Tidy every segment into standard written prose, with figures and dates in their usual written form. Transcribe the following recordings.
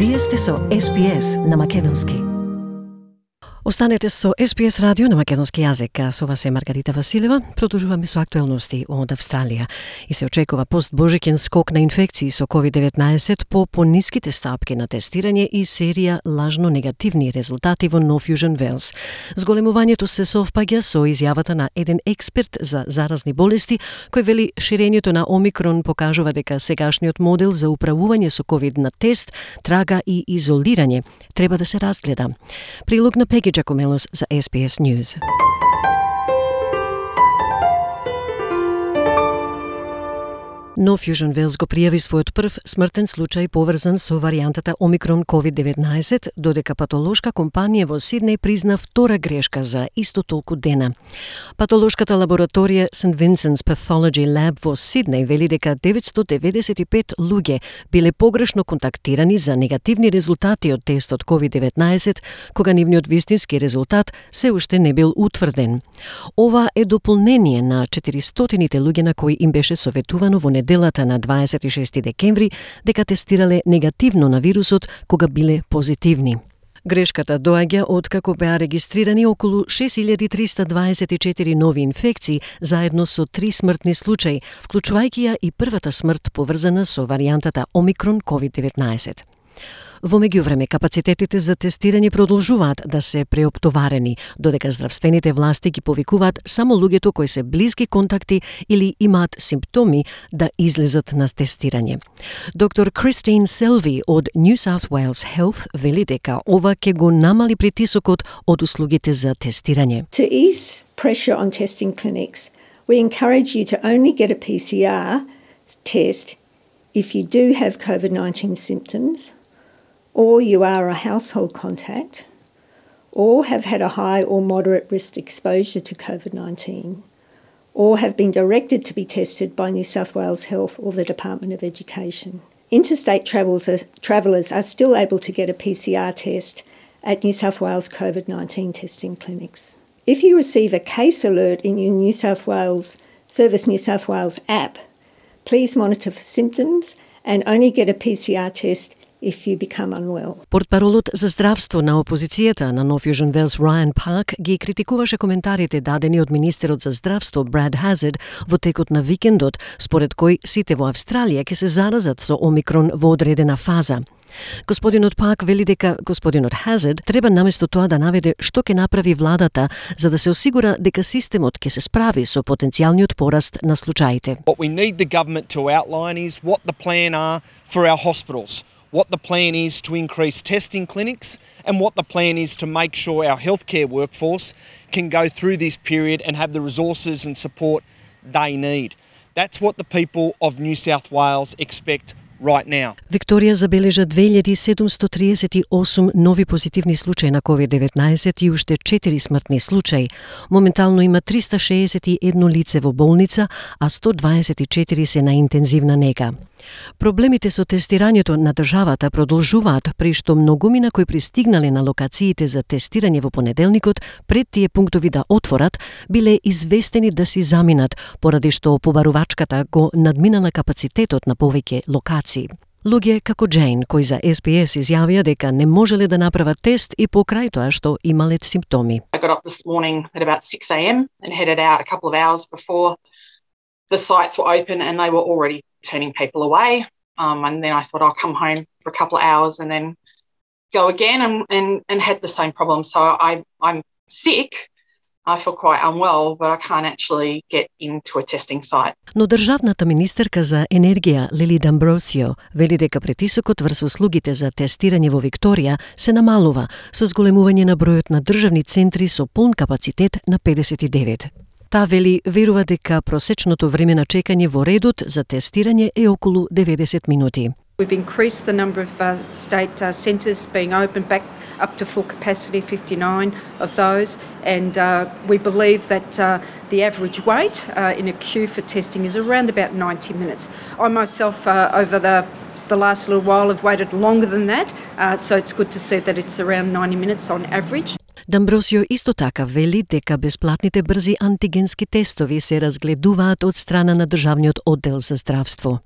Вие сте со SPS на македонски. Останете со SPS радио на македонски јазик. Со вас е Маргарита Василева. Продолжуваме со актуелности од Австралија. И се очекува постбожиќен скок на инфекции со COVID-19 по пониските стапки на тестирање и серија лажно негативни резултати во Нов Јужен Велс. Зголемувањето се совпаѓа со изјавата на еден експерт за заразни болести, кој вели ширењето на Омикрон покажува дека сегашниот модел за управување со COVID на тест, трага и изолирање треба да се разгледа. Прилог на Пеги Giacomellos за SBS News. Нов Јужен Велс го пријави својот прв смртен случај поврзан со варијантата Омикрон COVID-19, додека патолошка компанија во Сиднеј призна втора грешка за исто толку дена. Патолошката лабораторија St. Vincent's Pathology Lab во Сиднеј вели дека 995 луѓе биле погрешно контактирани за негативни резултати од тестот COVID-19, кога нивниот вистински резултат се уште не бил утврден. Ова е дополнение на 400 луѓе на кои им беше советувано во неделата на 26 декември дека тестирале негативно на вирусот кога биле позитивни. Грешката доаѓа откако беа регистрирани околу 6324 нови инфекции заедно со 3 смртни случаи, вклучувајќи ја и првата смрт поврзана со варијантата Омикрон COVID-19. Во меѓувреме, капацитетите за тестирање продолжуваат да се преоптоварени, додека здравствените власти ги повикуваат само луѓето кои се блиски контакти или имаат симптоми да излезат на тестирање. Доктор Кристин Селви од New South Wales Health вели дека ова ќе го намали притисокот од услугите за тестирање. To ease pressure on testing clinics, we encourage you to only get a PCR test if you do have COVID-19 symptoms, or you are a household contact, or have had a high or moderate risk exposure to COVID-19, or have been directed to be tested by New South Wales Health or the Department of Education. Interstate travellers are still able to get a PCR test at New South Wales COVID-19 testing clinics. If you receive a case alert in your New South Wales Service New South Wales app, please monitor for symptoms and only get a PCR test if you become unwell. Портпаролот за здравство на опозицијата на Нов Јужен Велс Райан Парк ги критикуваше коментарите дадени од министерот за здравство Брад Хазард во текот на викендот, според кој сите во Австралија ќе се заразат со Омикрон во одредена фаза. Господинот Парк вели дека господинот Хазард треба наместо тоа да наведе што ќе направи владата за да се осигура дека системот ќе се справи со потенцијалниот пораст на случаите. What we need the government to outline is what the plan are for our hospitals, what the plan is to increase testing clinics, and what the plan is to make sure our healthcare workforce can go through this period and have the resources and support they need. That's what the people of New South Wales expect right now. Викторија забележа 2738 нови позитивни случаи на COVID-19 и уште 4 смртни случаи. Моментално има 361 лице во болница, а 124 се на интензивна нега. Проблемите со тестирањето на државата продолжуваат, при што многумина кои пристигнале на локациите за тестирање во понеделникот пред тие пунктови да отворат, биле известени да си заминат, поради што побарувачката го надминала капацитетот на повеќе локации. Луѓе како Джейн, кои за SBS изјавија дека не можеле да направат тест и покрај тоа што имале симптоми. I got up this morning at about 6 a.m. and headed out a couple of hours before the sites were open, and they were already turning people away. And then I thought I'll come home for a couple of hours and then go again and had the same problem. So I'm sick. I feel quite unwell, but I can't actually get into a testing site. Но државната министерка за енергија Лили Дамбросио вели дека притисокот врз услугите за тестирање во Викторија се намалува со зголемување на бројот на државни центри со полн капацитет на 59. Таа вели верува дека просечното време на чекање во редот за тестирање е околу 90 минути. We've increased the number of state centres being opened back up to full capacity, 59 of those, and we believe that the average wait in a queue for testing is around about 90 minutes. I myself, over the last little while, have waited longer than that, so it's good to see that it's around 90 minutes on average. Дамбросио исто така вели дека бесплатните брзи антигенски тестови се разгледуваат од страна на Државниот оддел за здравство.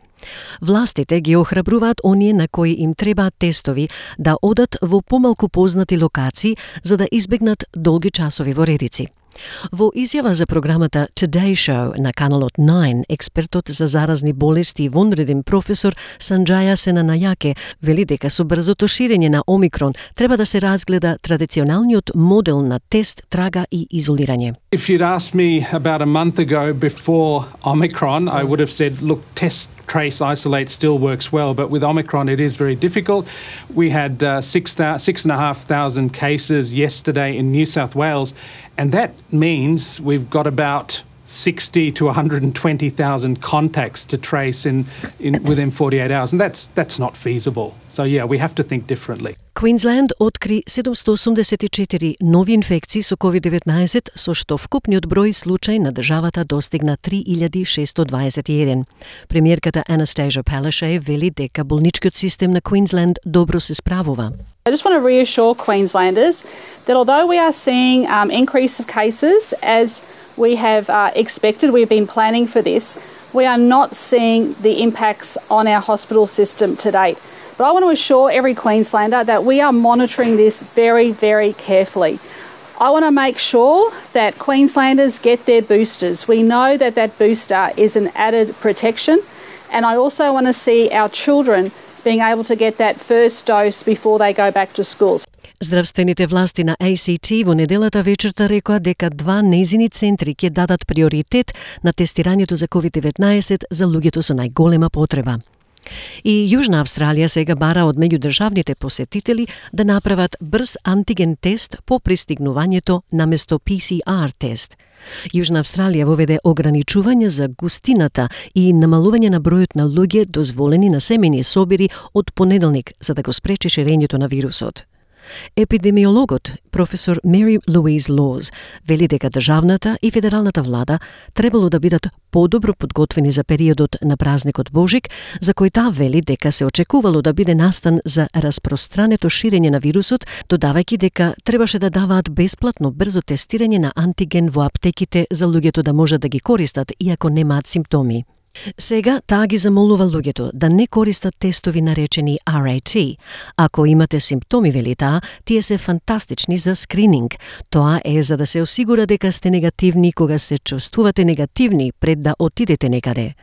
Властите ги охрабруваат оние на кои им требаат тестови да одат во помалку познати локации за да избегнат долги часови во редици. Во изјава за програмата Today Show на каналот 9, експертот за заразни болести и вонреден професор Санџаја Сенанајаке вели дека со брзото ширење на Омикрон треба да се разгледа традиционалниот модел на тест, трага и изолирање. If you'd asked me about a month ago before Omicron, I would have said, look, test, trace, isolate still works well, but with Omicron it is very difficult. We had 6,500 cases yesterday in New South Wales, and that means we've got about 60 to 120,000 contacts to trace in within 48 hours, and that's not feasible. So yeah, we have to think differently. Квинсленд откри 784 нови инфекции со COVID-19, со што вкупниот број случаи на државата достигна 3621. Премиерката Anastasia Palaszczuk вели дека болничкиот систем на Квинсленд добро се справува. I just want to reassure Queenslanders that although we are seeing increase of cases as we have expected, we've been planning for this, we are not seeing the impacts on our hospital system to date. But I want to assure every Queenslander that we are monitoring this very, very carefully. I want to make sure that Queenslanders get their boosters. We know that that booster is an added protection, and I also want to see our children being able to get that first dose before they go back to schools. Здравствените власти на ACT во неделата вечерта рекоа дека два нејзини центри ќе дадат приоритет на тестирањето за COVID-19 за луѓето со најголема потреба. И Јужна Австралија сега бара од меѓудржавните посетители да направат брз антиген тест по пристигнувањето наместо PCR тест. Јужна Австралија воведе ограничување за густината и намалување на бројот на луѓе дозволени на семејни собири од понеделник за да го спречи ширењето на вирусот. Епидемиологот, професор Mary Louise Laws, вели дека државната и федералната влада требало да бидат подобро подготвени за периодот на празникот Божик, за кој таа вели дека се очекувало да биде настан за распространето ширење на вирусот, додавајќи дека требаше да даваат бесплатно брзо тестирање на антиген во аптеките за луѓето да можат да ги користат иако немаат симптоми. Сега таа ги замолува луѓето да не користат тестови наречени RAT. Ако имате симптоми, вели таа, тие се фантастични за скрининг. Тоа е за да се осигура дека сте негативни кога се чувствувате негативни пред да отидете некаде.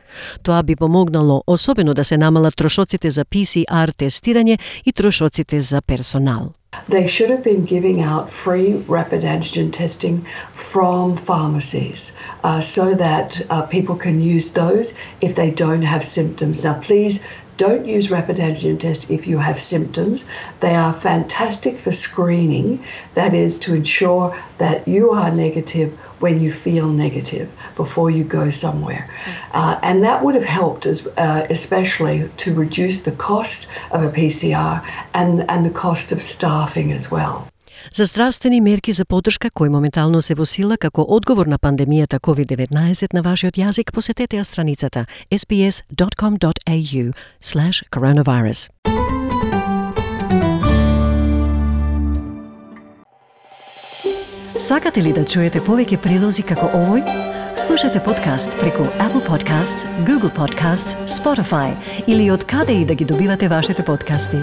Тоа би помогнало особено да се намалат трошоците за PCR тестирање и трошоците за персонал. They should have been giving out free rapid antigen testing from pharmacies so that people can use those if they don't have symptoms. Now, please don't use rapid antigen test if you have symptoms. They are fantastic for screening. That is to ensure that you are negative when you feel negative before you go somewhere. And that would have helped especially to reduce the cost of a PCR and the cost of staffing as well. За здравствени мерки за поддршка кои моментално се во сила како одговор на пандемијата COVID-19 на вашиот јазик, посетете ја страницата sbs.com.au/coronavirus. Сакате ли да чуете повеќе прилози како овој? Слушате подкаст преку Apple Podcasts, Google Podcasts, Spotify или од каде и да ги добивате вашите подкасти.